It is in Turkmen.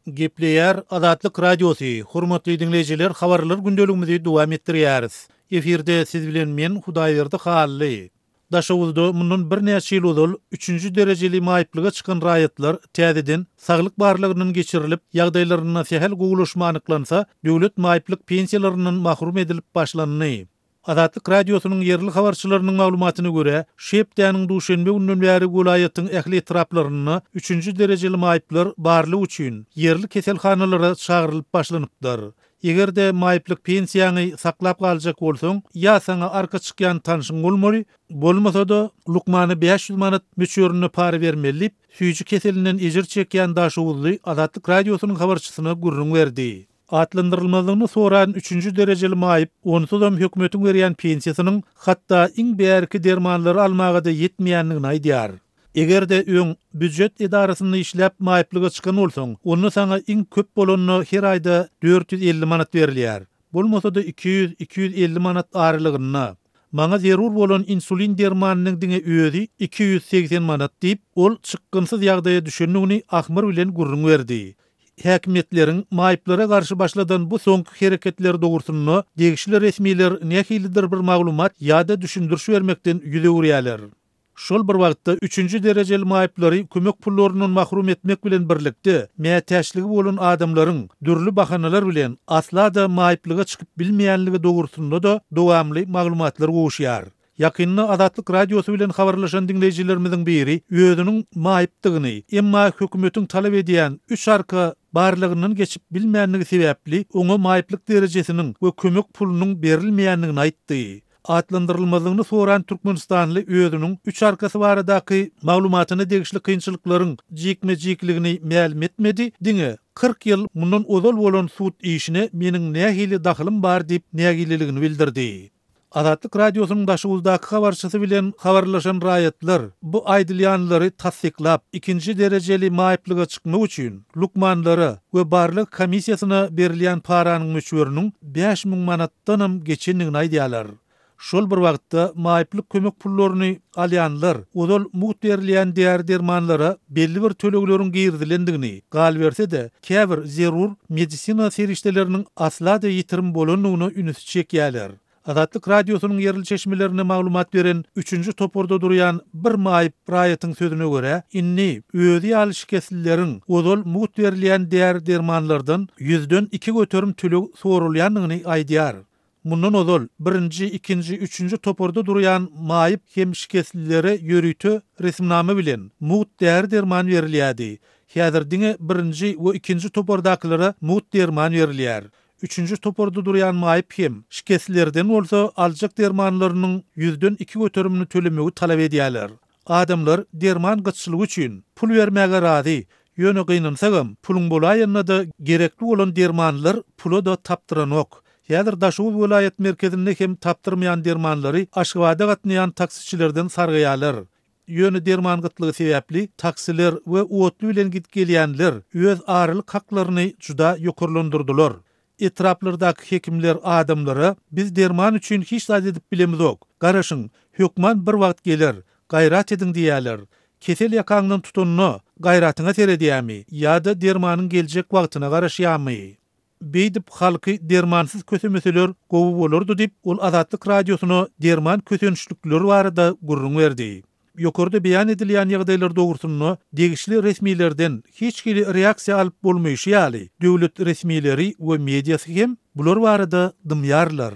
Gepleýär Azatlyk Radiosy, Hormatly diňleýjiler habarlar gündeligimizi dowam etdirýäris. Efirde siz bilen men Hudaýberdi Hally. Daşoguzda mundan birnäçe ýyl ozal üçünji derejeli maýyplyga çykan raýatlar täzeden saglyk barlagyndan geçirilip, ýagdaýlarynda sähel gowulaşma anyklansa, döwlet maýyplyk pensiýalaryndan mahrum edilip başlandy. Azatlyk Radiosynyň ýerli habarçylarynyň maglumatyna görä, şu hepdäniň duşenbe gününden bäri welaýatyň ähli etraplarynda üçünji derejeli maýyplar barlag üçin ýerli keselhanalara çagyrylyp başlanypdyr. Eger-de maýyplyk pensiýaňy saklap galjak bolsaň, ýa saňa arka çykýan tanşyň bolmaly, bolmasa-da, lukmana 500 manat möçberinde para bermeli diýip, süýji keselinden ejir çekýän daşoguzly Azatlyk Radiosynyň habarçysyna gürrüň berdi. Atlandyrylmazlygyny soran üçünji derejeli maýyp onsuzam hökümetiň berýän pensiýasynyň hatda iň bärki dermanlary almaga-da ýetmeýändigini aýdýar. Eger-de öň býujet edarasynda işläp maýyplyga çykan bolsaň, onda saňa iň köp bolanda her aýda 450 manat berilýär. Bolmasa-da 200, 250 manat aralygynda. Maňa zerur bolan insulin dermanynyň diňe özi 280 manat diýip, ol çykgynsyz ýagdaýa düşendigini ahmyr bilen gürrüň berdi. Häkimiýetleriň maýyplara garşy başladan bu soňky hereketleri dogrusynda degişli resmiler nähilidir bir maglumat ýa-da düşündiriş bermekden ýüz öwürýärler. Şol bir wagtda, üçünji derejeli maýyplary kömek pullaryndan mahrum etmek bilen birlikde, mätäçligi bolan adamlaryň dürli bahanalar bilen asla-da maýyplyga çykyp bilmeýänligi dogrusynda-da dowamly maglumatlar gowuşýar. Ýakynda Azatlyk Radiosy bilen habarlaşan diňleýjilerimiziň biri özüniň maýypdygyny, emma hökümetiň talap edýän üç arka barlagyndan geçip bilmändigi sebäpli oňa maýyplyk derejesiniň we kömek pulunyň berilmeýändigini aýtdy. Atlandyrylmazlygyny soran türkmenistanly özüniň üç arkasy baradaky maglumatyna degişli kynçylyklaryň jikme-jikligini mälim etmedi, diňe 40 ýyl mundan ozal bolan sud işine meniň nähili dahylym bar diýip nägileligini bildirdi. Azatlyk Radiosynyň Daşoguzdaky habarçysy bilen habarlaşan raýatlar bu aýdylýanlary tassyklap, ikinji derejeli maýyplyga çykmak üçin lukmanlara we barlag komissiýasyna berilýän paranyň möçberiniň 5000 manatdanam geçendigini aýdýarlar. Şol bir wagtda, maýyplyk kömek pullaryny alýanlar ozal mugt berilýän däri-dermanlara belli bir tölegleriň girizilendigini, galyberse-de, käbir zerur medisina serişdeleriniň asla-da ýitirim bolandygyna ünsi çekýärler. Azatlyk Radiosynyň ýerli çeşmelerine maglumat beren üçünji toparda durýan bir maýyp raýatyň sözüne görä, indi özi ýaly şikeslileriň ozal mugt berilýän däri-dermanlardan ýüzden 2% töleg soralýandygyny aýdýar. Mundan ozal, birinji, ikinji, üçünji toparda durýan maýyp hem şikeslilere ýörite resminama bilen mugt däri-derman berilýärdi. Häzir diňe birinji we ikinji topardakylara mugt derman berilýär. Üçünji toparda durýan maýyp hem şikeslilerden bolsa aljak dermanlarynyň ýüzden iki göterimini tölemegi talap edýärler. Adamlar derman gytçylygy üçin pul bermäge razy, ýöne gynansagam, puluň bolaýanda-da gerekli bolan dermanlar pula-da tapdyranok. Häzir Daşoguz welaýat merkezinde hem tapdyrmaýan dermanlary Aşgabada gatnaýan taksiçilerden sargaýarlar. Ýöne derman gytlygy sebäpli taksiler we otly bilen gidip gelýänler öz aralyk haklaryny juda ýokarlandyrdylar. Etraplardaky hekimler adamlara biz derman üçin hiç zat edip bilemizok, garaşyň, hökman bir wagt geler, gaýrat ediň diýýärler. Kesel ýakaňdan tutanda gaýratyňa seredýärmi ýa-da dermanyň geljek wagtyna garaşýarmy? Beýdip halky dermansyz kösemeseler gowy bolardy diýip, ol Azatlyk Radiosyna derman kösençlikleri barada gürrüň berdi. Ýokarda beýan edilýän ýagdaýlar dogrusynda degişli resmilerden hiç hili reaksiýa alyp bolmaýşy ýaly, döwlet resmileri we mediasy hem bular barada dymýarlar.